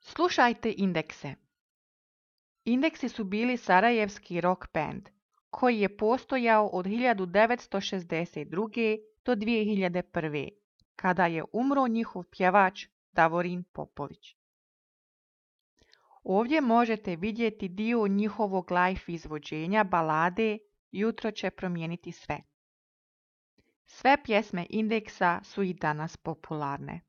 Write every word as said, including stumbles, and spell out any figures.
Slušajte Indekse. Indeksi su bili sarajevski rock band koji je postojao od hiljadu devetsto šezdeset druge. do dvije hiljade prve. kada je umro njihov pjevač Davorin Popović. Ovdje možete vidjeti dio njihovog live izvođenja balade Jutro će promijeniti sve. Sve pjesme Indeksa su i danas popularne.